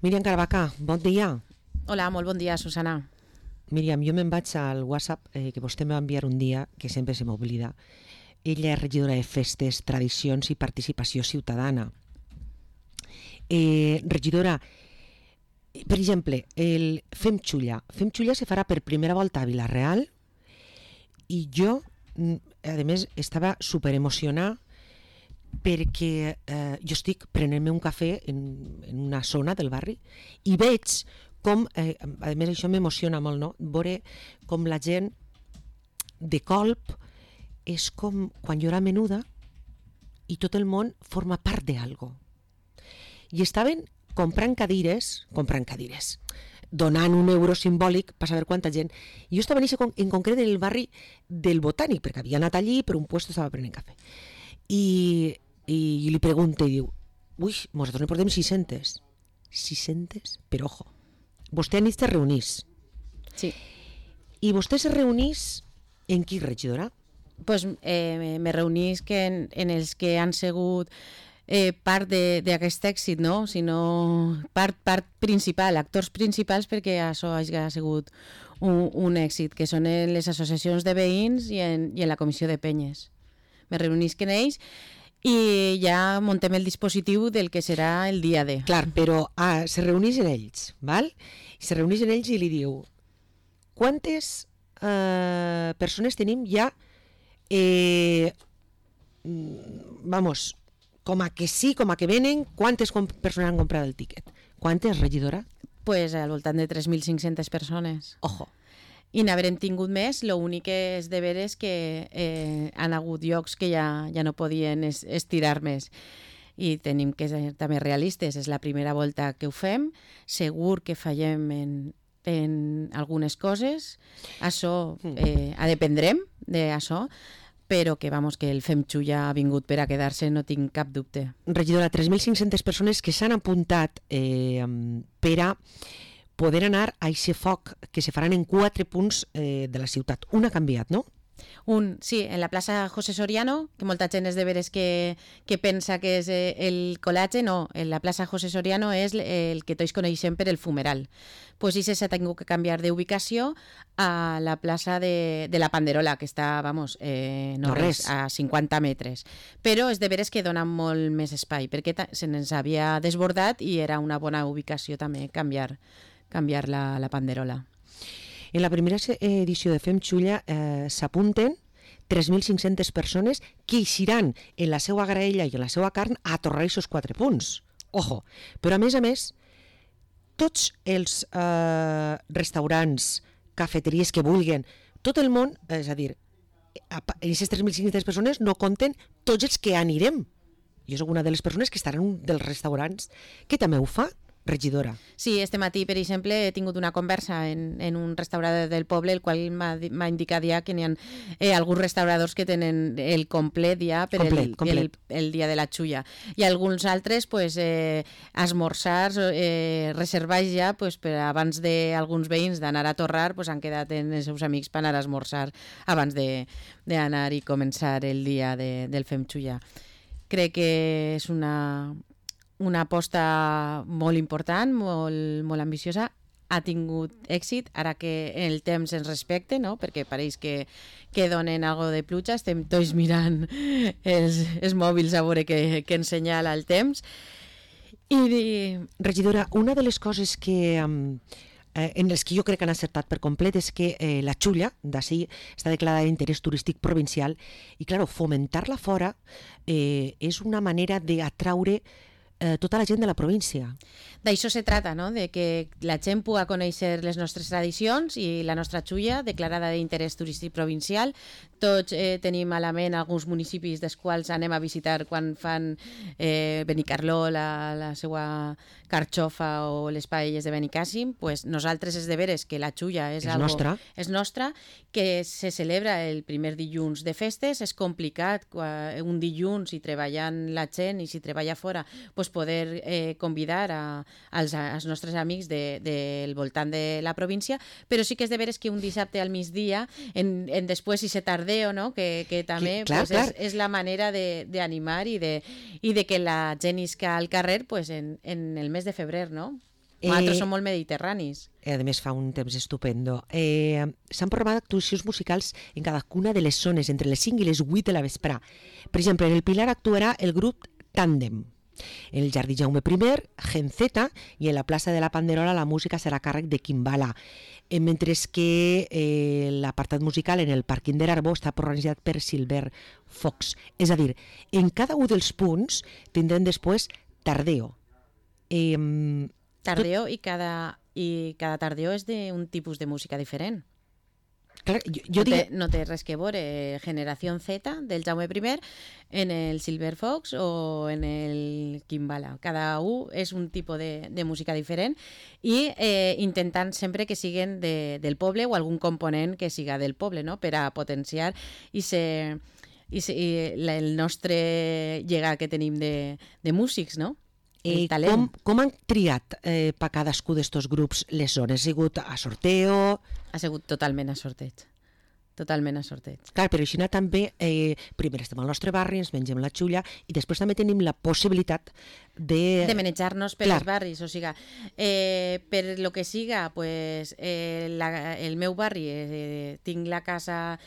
Míriam Caravaca, bon dia. Hola, molt bon dia, Susana. Míriam, jo me'n vaig al WhatsApp que vostè em va enviar un dia, que sempre se m'oblida. Ella és regidora de Festes, Tradicions i Participació Ciutadana. Regidora, per exemple, el Fem Xulla. Fem Xulla se farà per primera volta a Vila-real i jo, a més, estava superemocionada perquè jo estic prenent-me un cafè en una zona del barri i veig com, a més això m'emociona molt, no? Veure com la gent de colp és com quan jo era menuda i tot el món forma part d'algo. I estaven comprant cadires, donant €1 simbòlic per saber quanta gent. I jo estava en concret en el barri del Botànic, perquè havia anat allí, per un puesto estava prenent cafè. I li pregunto i diu, ui, nosaltres ne portem 600. 600? Però ojo, vostè anit se reunís. Sí. I vostè se reunís en qui, regidora? Pues me reunís en els que han sigut part d'aquest èxit, no? Sinó part principal, actors principals perquè això ha sigut un èxit, que són en les associacions de veïns i en la comissió de penyes. Me reunís en ells i ja muntem el dispositiu del que serà el dia D. Clar, però se reunís en ells, val? Se reunís en ells i li diu, quantes persones tenim ja vamos, com a que sí, com a que venen, quantes persones han comprat el tiquet? Quantes, regidora? Pues al voltant de 3.500 persones. Ojo. I n'haurem tingut més, l'únic que és de veure és que han hagut llocs que ja no podien estirar més. I tenim que ser també realistes, és la primera volta que ho fem, segur que fallem en algunes coses, això dependrem d'això, però que, que el Fem Xulla ha vingut per a quedar-se, no tinc cap dubte. Regidora, 3.500 persones que s'han apuntat per a poder anar a aquest foc que se faran en 4 punts de la ciutat. Un ha canviat, no? Sí, en la plaça José Soriano, que molta gent és de veres que pensa que és el col·latge, no, en la plaça José Soriano és el que tots coneixem per el fumeral. Pues això s'ha tingut que canviar d'ubicació a la plaça de la Panderola, que està, no res, a 50 metres. Però és de veres que dona molt més espai, perquè se n'ens havia desbordat i era una bona ubicació també canviar la Panderola. En la primera edició de Fem Xulla s'apunten 3.500 persones que eixiran en la seva graella i en la seva carn a torrar aquests 4 punts. Ojo! Però a més, tots els restaurants, cafeteries que vulguin, tot el món, és a dir, en aquestes 3.500 persones no compten tots els que anirem. Jo soc una de les persones que estaran en un dels restaurants que també ho fa, regidora. Sí, este matí, per exemple, he tingut una conversa en un restaurador del poble, el qual m'ha indicat ja que n'hi ha alguns restauradors que tenen el complet ja per el dia de la xulla. I alguns altres, esmorzars reservats ja per abans d'alguns veïns d'anar a torrar, han quedat en els seus amics per anar a esmorzar abans d'anar i començar el dia del Fem Xulla. Crec que és una aposta molt important, molt ambiciosa, ha tingut èxit, ara que el temps ens respecte, no? Perquè pareix que donen algo de pluja, estem tots mirant els mòbils a veure què ens senyala el temps. I, regidora, una de les coses que en les que jo crec que han acertat per complet és que la xulla d'ací està declarada d'interès turístic provincial i, clar, fomentar-la fora és una manera d'atraure tota la gent de la província. D'això se trata, no? De que la gent pugui conèixer les nostres tradicions i la nostra xulla, declarada d'interès turístic provincial. Tots tenim a la ment alguns municipis dels quals anem a visitar quan fan Benicarló, la seva carxofa o les paelles de Benicàssim. Pues nosaltres és de veres que la xulla és nostra, que se celebra el primer dilluns de festes. És complicat un dilluns i treballant la gent i si treballa fora poder convidar als nostres amics del voltant de la província, però sí que és de veres que un dissabte al migdia, després si se tardeo, no? que també és la manera d'animar i de que la gent isca al carrer en el mes de febrer, no? Nosaltres som molt mediterranis. A més, fa un temps estupendo. S'han programat actuacions musicals en cadascuna de les zones entre les 5 i les 8 de la vesprà. Per exemple, en el Pilar actuarà el grup Tàndem. En el Jardí Jaume I, Gen Z, i en la plaça de la Panderola la música serà a càrrec de Kimbala. Mentre que l'apartat musical en el pàrquing de l'Arbó està organitzat per Silver Fox. És a dir, en cada un dels punts tindrem després Tardeo. Tardeo i cada tardeo és d'un tipus de música diferent. Clar, jo no té res que veure Generació Z del Jaume I en el Silver Fox o en el Kimbala. Cada un és un tipus de música diferent i intentant sempre que siguin del poble o algun component que siga del poble, no? Per a potenciar el nostre llegat que tenim de músics, no? Com han triat per cadascú d'estos grups les zones? Ha sigut a sorteo? Ha sigut totalment a sorteig. Totalment a sorteig. Clar, però així també, primer estem al nostre barri, ens mengem la xulla i després també tenim la possibilitat de manejar-nos per els barris. O sigui, per lo que siga, pues, el meu barri, tinc la casa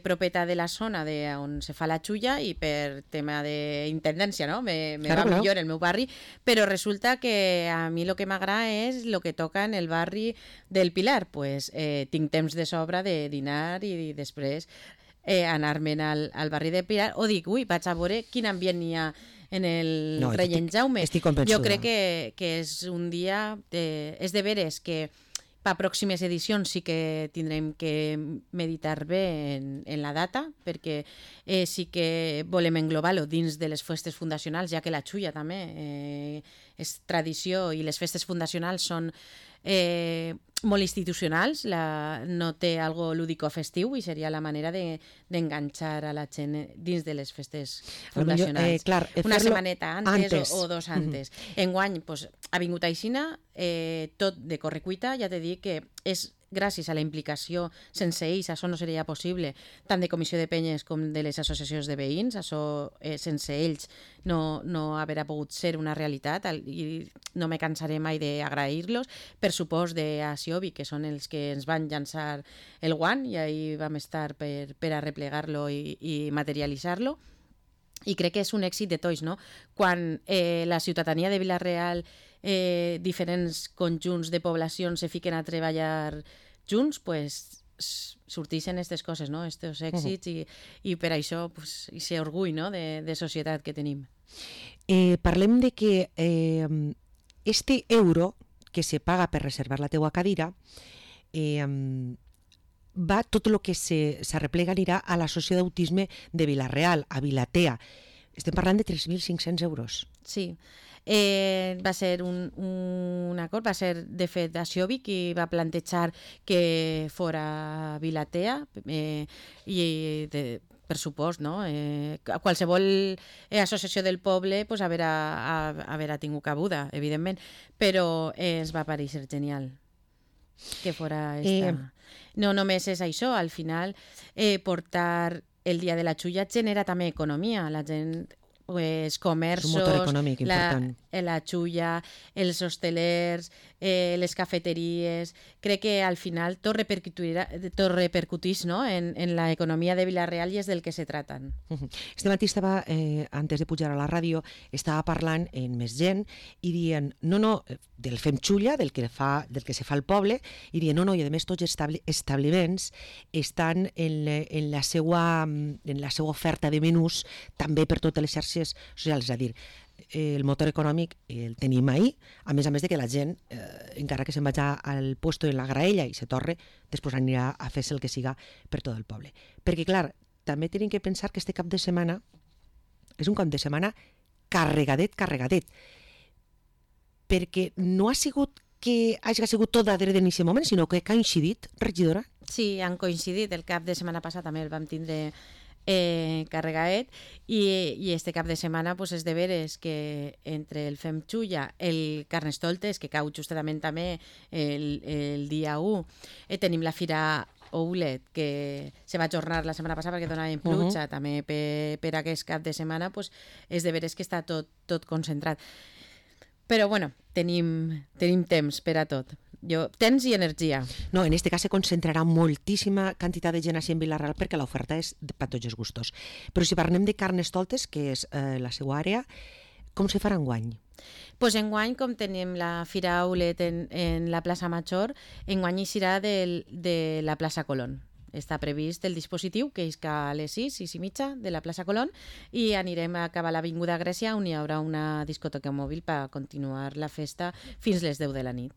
propietat de la zona on se fa la xulla i per tema d'intendència, no? Me va millor el meu barri, però resulta que a mi el que m'agrada és el que toca en el barri del Pilar. Pues tinc temps de sobra de dinar i després anar-me'n al barri del Pilar o dic, vaig a veure quin ambient hi ha en el Regent Jaume. Jo crec que és un dia, és de veres que per pròximes edicions sí que tindrem que meditar bé en la data, perquè sí que volem englobar-lo dins de les festes fundacionals, ja que la xulla també és tradició i les festes fundacionals són molt institucionals, no té algo lúdico-festiu i seria la manera d'enganxar a la gent dins de les festes fundacionals. Una setmaneta antes o dos antes. Enguany ha vingut aixina, tot de correcuita, ja t'he dit que és gràcies a la implicació, sense ells això no seria possible, tant de comissió de penyes com de les associacions de veïns, això sense ells no haurà pogut ser una realitat i no me cansaré mai d'agrair-los, per supost a Siobi, que són els que ens van llançar el guant i ahir vam estar per a replegar-lo i materialitzar-lo. I crec que és un èxit de tots, no? Quan la ciutadania de Vila-real, diferents conjunts de poblacions se fiquen a treballar junts, pues sortixen aquestes coses, no? Estos èxits i per això aquest orgull, no? de societat que tenim. Parlem de que este euro que se paga per reservar la teua cadira tot el que s'arreplega anirà a l'associació d'autisme de Vila-real, a Vilatea. Estem parlant de 3.500 euros. Sí. Va ser un acord, va ser de fet Siobi qui va plantejar que fora Vilatea i per supost, no? Qualsevol associació del poble haurà tingut cabuda, evidentment, però ens va pareixer genial que fora esta. No només és això, al final portar el dia de la xulla genera també economia, la gent, els comerços, la xulla, els hostelers, les cafeteries, crec que al final tot repercutís, no? en la economia de Vila-real i és del que se tracten. Este matí estava, antes de pujar a la ràdio, estava parlant amb més gent i dient, no, del Fem Xulla, del que se fa al poble, i dient, no, i a més tots els establiments estan en la seva oferta de menús també per totes les xarxes socials, és a dir, el motor econòmic el tenim ahí, a més de que la gent, encara que se'n vagi al puesto en la graella i se torre, després anirà a fer-se el que siga per tot el poble. Perquè, clar, també tenim que pensar que este cap de setmana és un cap de setmana carregadet, perquè no ha sigut que hagi sigut tot darrere en aquest moment, sinó que ha coincidit, regidora? Sí, han coincidit. El cap de setmana passat també el vam tindre carregaet i este cap de setmana és de veres que entre el Fem Xulla, el Carnestoltes, que cau justament també el dia 1, tenim la Fira Oulet, que se va ajornar la setmana passada perquè donaven pluja, també per aquest cap de setmana, és de veres que està tot concentrat. Però bueno, tenim temps per a tot. Temps i energia. No, en este cas se concentrarà moltíssima quantitat de gent així en Vila-real perquè l'oferta és per tots els gustos. Però si parlem de Carnestoltes, que és la seva àrea, com se farà enguany? Pues enguany, com tenim la Fira Aulet en la plaça Major, enguany hi serà de la plaça Colón. Està previst el dispositiu, que és a les 6:30 de la plaça Colón, i anirem a acabar l'Avinguda Grècia, on hi haurà una discoteca mòbil per continuar la festa fins les 10 de la nit.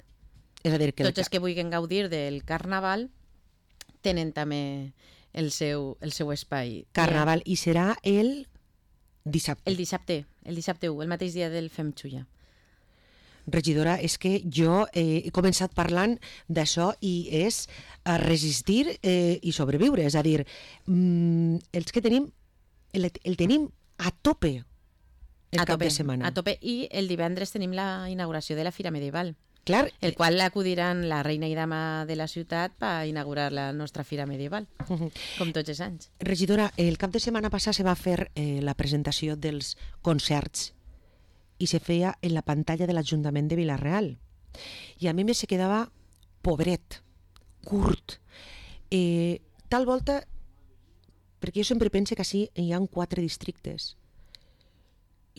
És a dir, que tots els que vulguin gaudir del Carnaval tenen també el seu espai. Carnaval, i serà el dissabte. El dissabte 1, el mateix dia del Fem Xulla. Regidora, és que jo he començat parlant d'això i és resistir i sobreviure. És a dir, els que tenim, el tenim a tope el cap de setmana. A tope, i el divendres tenim la inauguració de la Fira Medieval. Clar, el qual acudiran la reina i dama de la ciutat per inaugurar la nostra Fira Medieval, com tots els anys. Regidora, el cap de setmana passat se va fer la presentació dels concerts i se feia en la pantalla de l'Ajuntament de Vila-real. I a mi me se quedava pobret, curt. Tal volta, perquè jo sempre pense que així hi ha 4 districtes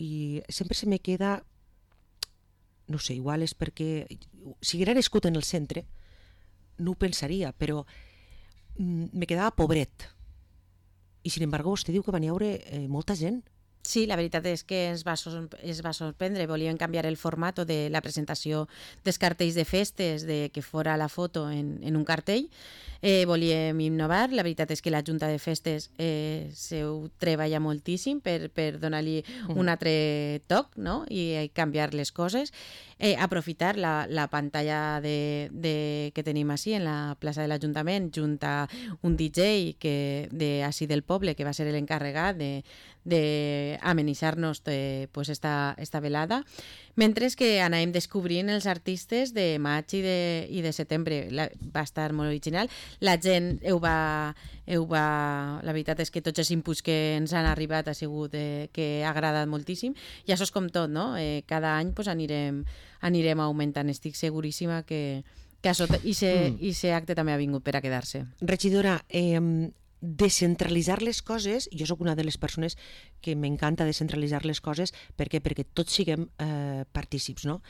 i sempre se me queda, no sé, igual és perquè si haguera nascut en el centre no ho pensaria, però me quedava pobret. I sin embargo vostè diu que van hi haure molta gent. Sí, la veritat és que es va sorprendre. Volien canviar el format de la presentació dels cartells de festes, de que fora la foto en un cartell. Volíem innovar. La veritat és que la Junta de Festes s'ho treballa moltíssim per donar-li un altre toc, no? I canviar les coses. Aprofitar la pantalla que tenim així en la plaça de l'Ajuntament, junt a un DJ d'ací del poble, que va ser l'encarregat d'amenitzar-nos esta velada, mentre que anàvem descobrint els artistes de maig i de setembre. Va estar molt original. La gent la veritat és que tots els inputs que ens han arribat ha sigut que ha agradat moltíssim, i això és com tot, no? Cada any anirem augmentant. Estic seguríssima que això i ser acte també ha vingut per a quedar-se. Regidora, descentralitzar les coses, jo sóc una de les persones que m'encanta descentralitzar les coses, perquè tots siguem partícips, no?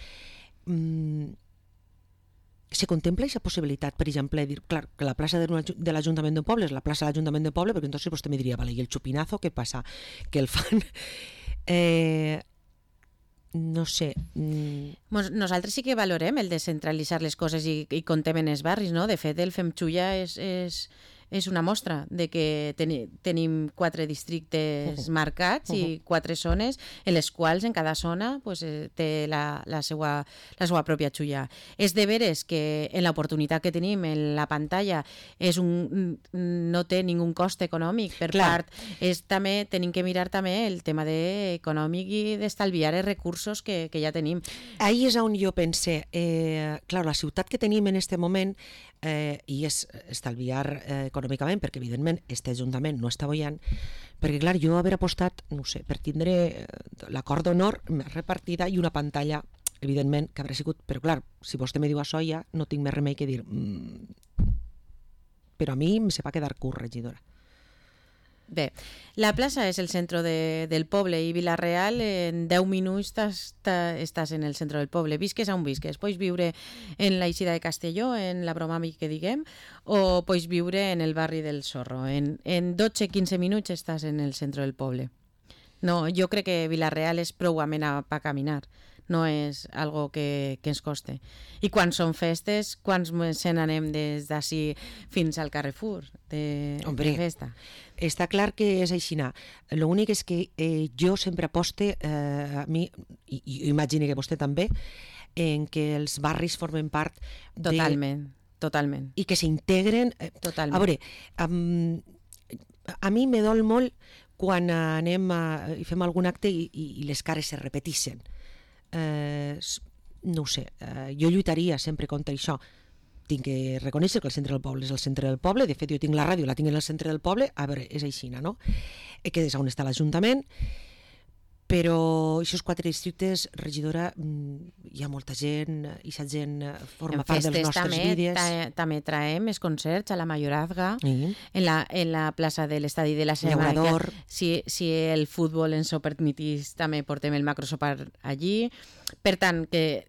Se contempla aquesta possibilitat, per exemple, de dir, clar, que la plaça de l'Ajuntament d'un poble és la plaça de l'Ajuntament d'un poble, perquè entonces vostè me diria, vale, i el xupinazo, què passa? Que el fan... no sé... Nosaltres sí que valorem el descentralitzar les coses i contem en els barris, no? De fet, el Fem Xulla és una mostra de que tenim 4 districtes marcats i 4 zones en les quals en cada zona té la seva pròpia xulla. És de veres que en l'oportunitat que tenim en la pantalla no té ningú cost econòmic per part. Tenim que mirar també el tema econòmic i d'estalviar els recursos que ja tenim. Ahí és on jo pense, clar, la ciutat que tenim en aquest moment i és estalviar econòmicament, perquè evidentment este Ajuntament no està boiant, perquè clar, jo haver apostat, no sé, per tindre l'acord d'honor més repartida i una pantalla, evidentment, que haurà sigut, però clar, si vostè me diu això ja no tinc més remei que dir però a mi em se va quedar curt, regidora. Bé, la plaça és el centre del poble i Vila-real en 10 minuts estàs en el centre del poble, visques on visques. Pots viure en la Eixida de Castelló, en la Bromami que diguem, o pots viure en el barri del Zorro. En 12-15 minuts estàs en el centre del poble. No, jo crec que Vila-real és prou amena per caminar. No és algo que ens coste. I quan són festes, quants se n'anem des d'ací fins al Carrefour de festa? Està clar que és així. L'únic és que jo sempre aposte, a mi, i imagino que vostè també, en que els barris formen part Totalment. I que s'integren. Totalment. A veure, a mi me dol molt quan anem i fem algun acte i les cares se repeteixen. No ho sé, jo lluitaria sempre contra això. Tinc que reconèixer que el centre del poble és el centre del poble. De fet, jo tinc la ràdio, la tinc en el centre del poble. A veure, és així, no? Que és on està l'Ajuntament. Però aquests 4 districtes, regidora, hi ha molta gent, i aquesta gent forma part dels nostres vídeos. També traiem els concerts a la Mayorazga, en la plaça de l'Estadi de la Ceràmica. Si el futbol ens ho permetís, també portem el macrosopar allí. Per tant, que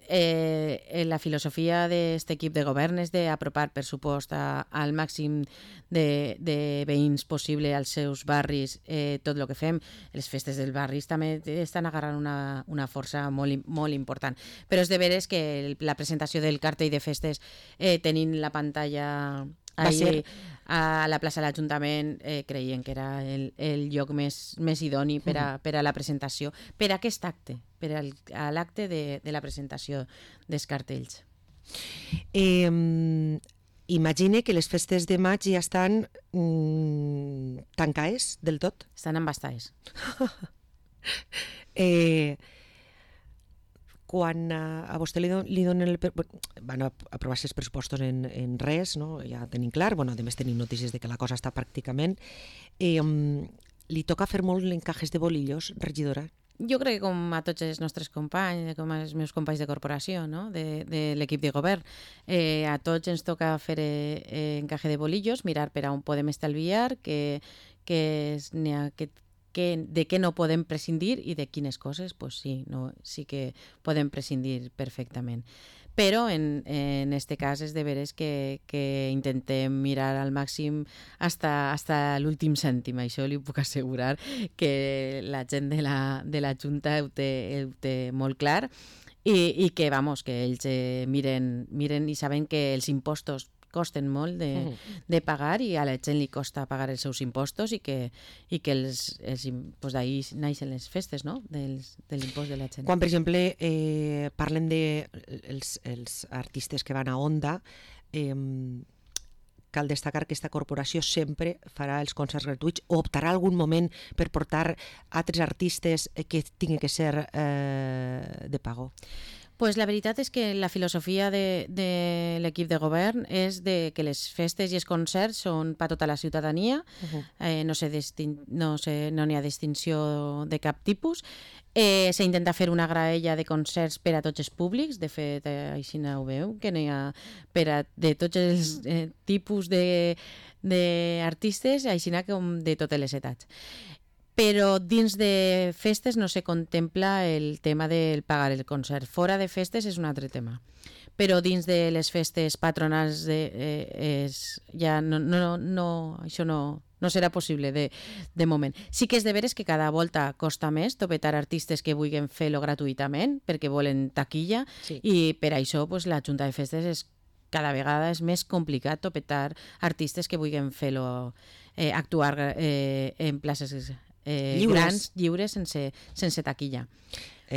la filosofia d'aquest equip de govern és d'apropar, per supost, al màxim de veïns possible als seus barris tot el que fem. Les festes dels barris també estan agarrant una força molt important. Però és de veres que la presentació del cartell de festes tenint la pantalla ahir a la plaça de l'Ajuntament creien que era el lloc més idoni per a la presentació, per a aquest acte, per a l'acte de la presentació dels cartells. Imagine que les festes de maig ja estan tancades del tot. Estan embastades. Quan a vostè li donen van aprovar els pressupostos en res, no? Ja tenim clar, a més tenim notícies de que la cosa està pràcticament, li toca fer molt l'encajes de bolillos, regidora? Jo crec que com a tots els nostres companys, com als meus companys de corporació, no? de l'equip de govern, a tots ens toca fer encaje de bolillos, mirar per on podem estalviar, de què no podem prescindir i de quines coses sí que podem prescindir perfectament. Però en este cas és de veres que intentem mirar al màxim hasta l'últim cèntim. Això li puc assegurar que la gent de la Junta ho té molt clar i que ells miren i saben que els impostos costen molt de pagar i a la gent li costa pagar els seus impostos i que d'ahir naixen les festes, no? de l'impost de la gent. Quan, per exemple, parlen dels artistes que van a Onda, cal destacar que aquesta corporació sempre farà els concerts gratuïts o optarà algun moment per portar altres artistes que tinguin que ser de pago. Pues la veritat és que la filosofia de l'equip de govern és que les festes i els concerts són per tota la ciutadania, no n'hi ha distinció de cap tipus. S'intenta fer una graella de concerts per a tots els públics, de fet, així ho veu, que n'hi ha de tots els tipus d'artistes, així com de totes les edats. Però dins de festes no se contempla el tema del pagar el concert. Fora de festes és un altre tema. Però dins de les festes patronals ja això no serà possible de moment. Sí que és de veres que cada volta costa més topetar artistes que vulguin fer-lo gratuïtament perquè volen taquilla i per això la Junta de Festes cada vegada és més complicat topetar artistes que vulguin fer-lo actuar en places grans, lliures, sense taquilla.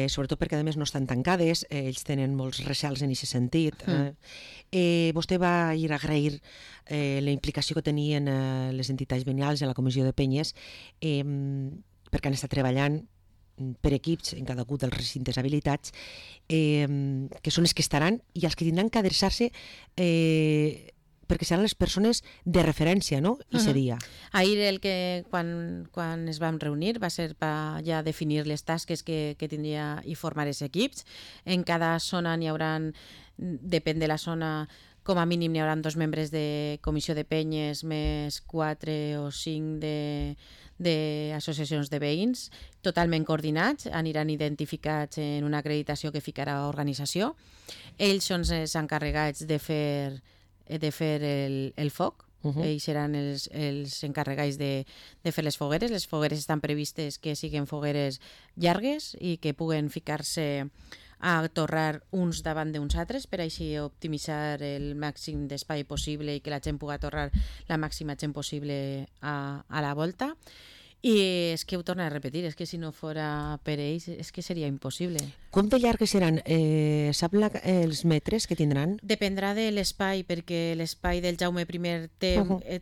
Sobretot perquè a més no estan tancades, ells tenen molts recels en aquest sentit. Vostè va ir a agrair la implicació que tenien les entitats veïnals en la comissió de penyes perquè han estat treballant per equips en cada un dels recintes habilitats que són els que estaran i els que tindran que adreçar-se perquè seran les persones de referència, no? I seria. Ahir quan es vam reunir va ser per ja definir les tasques que tindria i formar els equips. En cada zona n'hi haurà, depèn de la zona, com a mínim n'hi haurà 2 membres de comissió de penyes més 4 o 5 d'associacions de veïns, totalment coordinats, aniran identificats en una acreditació que ficarà l'organització. Ells són els encarregats de fer el foc. Ells seran els encarregats de fer les fogueres. Les fogueres estan previstes que siguin fogueres llargues i que puguen ficar-se a torrar uns davant d'uns altres per així optimitzar el màxim d'espai possible i que la gent pugui torrar la màxima gent possible a la volta. I és que ho torno a repetir, és que si no fora per ells és que seria impossible. Com de llargues seran? Sap els metres que tindran? Dependrà de l'espai, perquè l'espai del Jaume I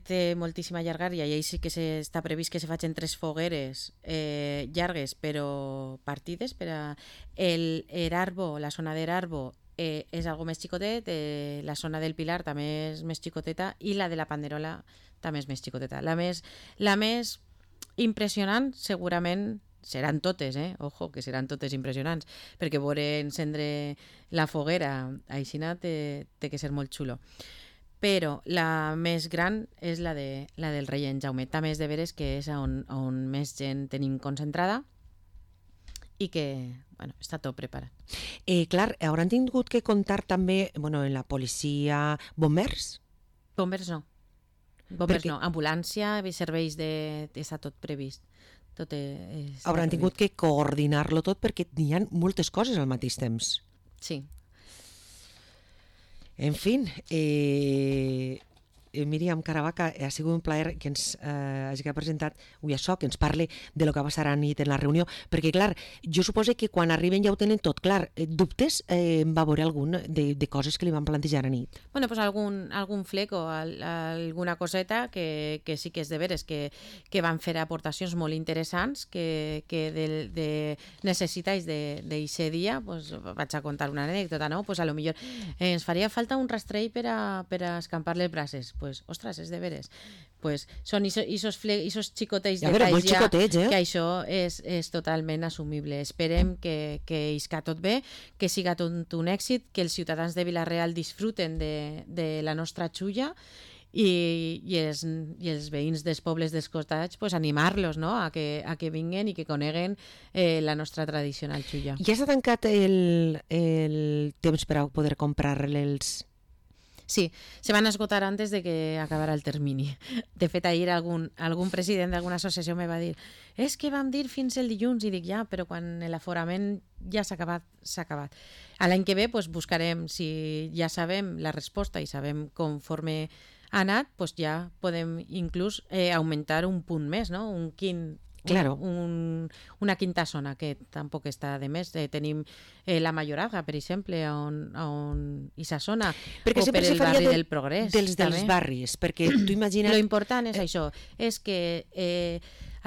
té moltíssima llargària i ahir sí que està previst que se facin 3 fogueres llargues però partides. Per a l'Erarbo, la zona d'Erarbo és algo més xicotet, la zona del Pilar també és més xicoteta i la de la Panderola també és més xicoteta. La més impressionant segurament seran totes, ojo, que seran totes impressionants, perquè veure encendre la foguera aixina té que ser molt xulo. Però la més gran és la del rei en Jaume. També és de veres que és on més gent tenim concentrada i que està tot preparat. Clar, hauran tingut que comptar també en la policia, bombers? Bombers no. Bombers no. Ambulància, serveis està tot previst. Hauran tingut que coordinar-lo tot perquè hi ha moltes coses al mateix temps. Sí. En fi, Míriam Caravaca, ha sigut un plaer que ens hagi presentat avui això, que ens parli de lo que va passar a nit en la reunió, perquè clar, jo suposo que quan arriben ja ho tenen tot clar. Dubtes va haver algun de coses que li van plantejar a nit? Bueno, pues algun fleco, alguna coseta que sí que és de veres, que van fer aportacions molt interessants, que de necessitats d'eixe dia, pues vaig a contar una anècdota, no? Pues a lo millor ens faria falta un rastrell per a escampar les brases. Pues, ostres, és de veres. Pues són isos xicotets detalls que això és totalment assumible. Esperem que isca tot bé, que siga tot un èxit, que els ciutadans de Vila-real disfruten de la nostra xulla i els veïns dels pobles dels costats pues, animar-los, no? a que vinguen i que coneguen la nostra tradicional xulla. Ja s'ha tancat el temps per a poder comprar-les? Sí, se van esgotar antes de que acabara el termini. De fet, ahir algun president d'alguna associació me va dir és que vam dir fins el dilluns, i dic ja, però quan l'aforament ja s'ha acabat, s'ha acabat. A l'any que ve pues, buscarem, si ja sabem la resposta i sabem conforme ha anat, pues ja podem inclús augmentar un punt més, no? Un quint. Claro. Una quinta zona, que tampoc està de més. Tenim la Mayoraga, per exemple, on i sa zona, perquè o per el barri del Progrés. Dels barris, perquè tu imagina't... Lo important és això, és que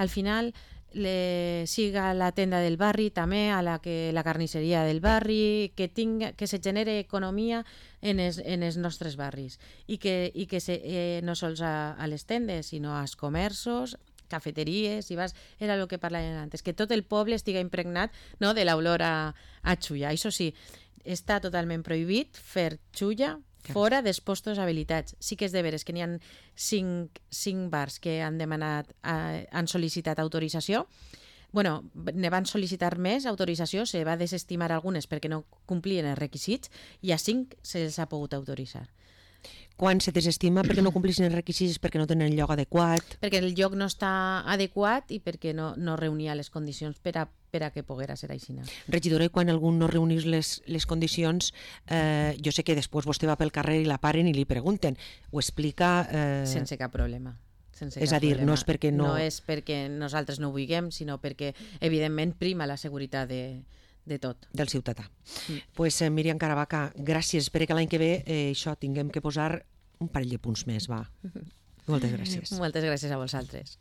al final siga la tenda del barri també, a la carnisseria del barri, que se genere economia en els nostres barris i que no sols a les tendes, sinó als comerços, cafeteries, era el que parlàvem antes, que tot el poble estiga impregnat, no, de l'olor a xulla. Això sí, està totalment prohibit fer xulla fora dels postos habilitats. Sí que és de veres que n'hi ha 5 bars que han sol·licitat autorització. Bueno, ne van sol·licitar més autorització, se va desestimar algunes perquè no complien els requisits i a 5 se'ls ha pogut autoritzar. Quan se desestima perquè no complissin els requisits, perquè no tenen el lloc adequat? Perquè el lloc no està adequat i perquè no reunia les condicions per a que poguera ser aixina. Regidora, i quan algú no reunís les condicions, jo sé que després vostè va pel carrer i la paren i li pregunten, ho explica... Sense cap problema. És a dir, no és perquè no... No és perquè nosaltres no ho vulguem, sinó perquè, evidentment, prima la seguretat de tot. Del ciutadà. Pues Míriam Caravaca, gràcies. Espero que l'any que ve això tinguem que posar un parell de punts més, va. Moltes gràcies. Moltes gràcies a vosaltres.